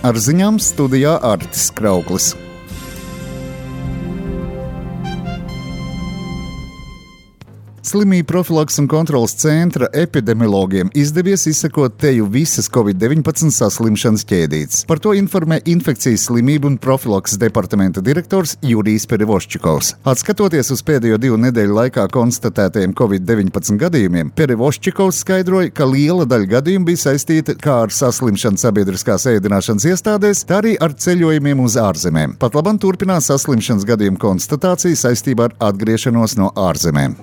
Ar ziņām studijā Artis Krauklis. Slimību profilakses un kontroles centra epidemiologiem izdevies izsekot teju visas COVID-19 saslimšanas ķēdītes. Par to informē Infekcijas slimību un profilakses departamenta direktors Jurijs Perevoščikovs. Atskatoties uz pēdējo 2 nedēļu laikā konstatētajiem COVID-19 gadījumiem, Perevoščikovs skaidroja, ka liela daļa gadījumu bija saistīta kā ar saslimšanu sabiedriskās ēdināšanas iestādēs, tā arī ar ceļojumiem uz ārzemēm. Pat labam turpinās saslimšanas gadījumu konstatācija saistībā ar atgriešanos no ārzemēm.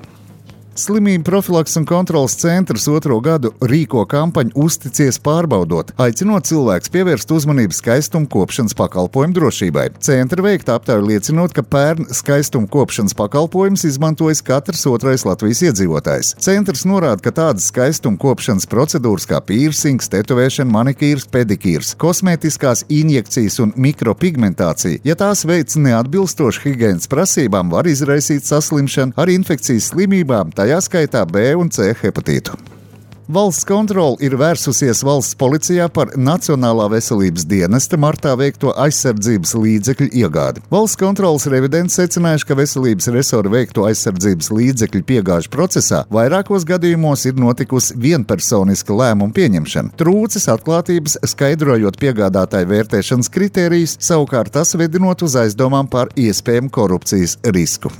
Slimību profilakses un kontroles centrs 2. gadu rīko kampaņu Uzticies pārbaudot, aicinot cilvēkus pievērst uzmanību skaistuma kopšanas pakalpojumu drošībai. Centra veikta aptauja liecinot, ka pērn skaistuma kopšanas pakalpojumus izmantojas katrs 2. Latvijas iedzīvotājs. Centrs norāda, ka tādas skaistuma kopšanas procedūras kā piercings, tetovēšana, manikīrs, pedikīrs, kosmētiskās injekcijas un mikropigmentācija, ja tās veic neatbilstoši higienas prasībām, var izraisīt saslimšanu ar infekcijas slimībām, tajā skaitā B un C hepatītu. Valsts kontrole ir vērsusies valsts policijā par Nacionālā veselības dienesta martā veikto aizsardzības līdzekļu iegādi. Valsts kontroles revidents secinājuši, ka veselības resora veikto aizsardzības līdzekļu piegāžu procesā vairākos gadījumos ir notikusi vienpersoniska lēmuma pieņemšana. Trūcis atklātības skaidrojot piegādātāju vērtēšanas kritērijus, savukārt tas vedinot uz aizdomām par iespējamu korupcijas risku.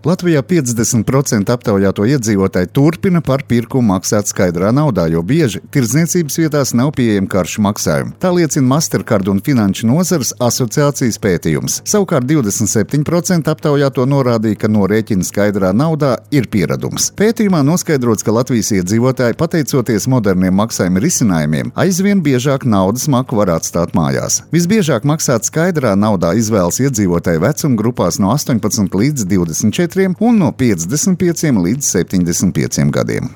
Latvijā 50% aptaujāto iedzīvotāju turpina par pirkumu maksāt skaidrā naudā, jo bieži tirdzniecības vietās nav pieejami karšu maksājumi. Tā liecina Mastercard un Finanšu nozares asociācijas pētījums. Savukārt 27% aptaujāto norādīja, ka norēķina skaidrā naudā ir pieradums. Pētījumā noskaidrots, ka Latvijas iedzīvotāji, pateicoties moderniem maksājuma risinājumiem, aizvien biežāk naudas maku var atstāt mājās. Visbiežāk maksāt skaidrā naudā izvēlas iedzīvotāju vecuma grupās no 18 līdz 24 un no 55 līdz 75 gadiem.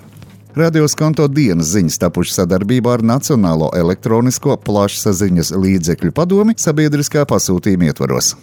Radio Skonto dienas ziņas tapušas sadarbībā ar Nacionālo elektronisko plašsaziņas līdzekļu padomi sabiedriskā pasūtījuma ietvaros.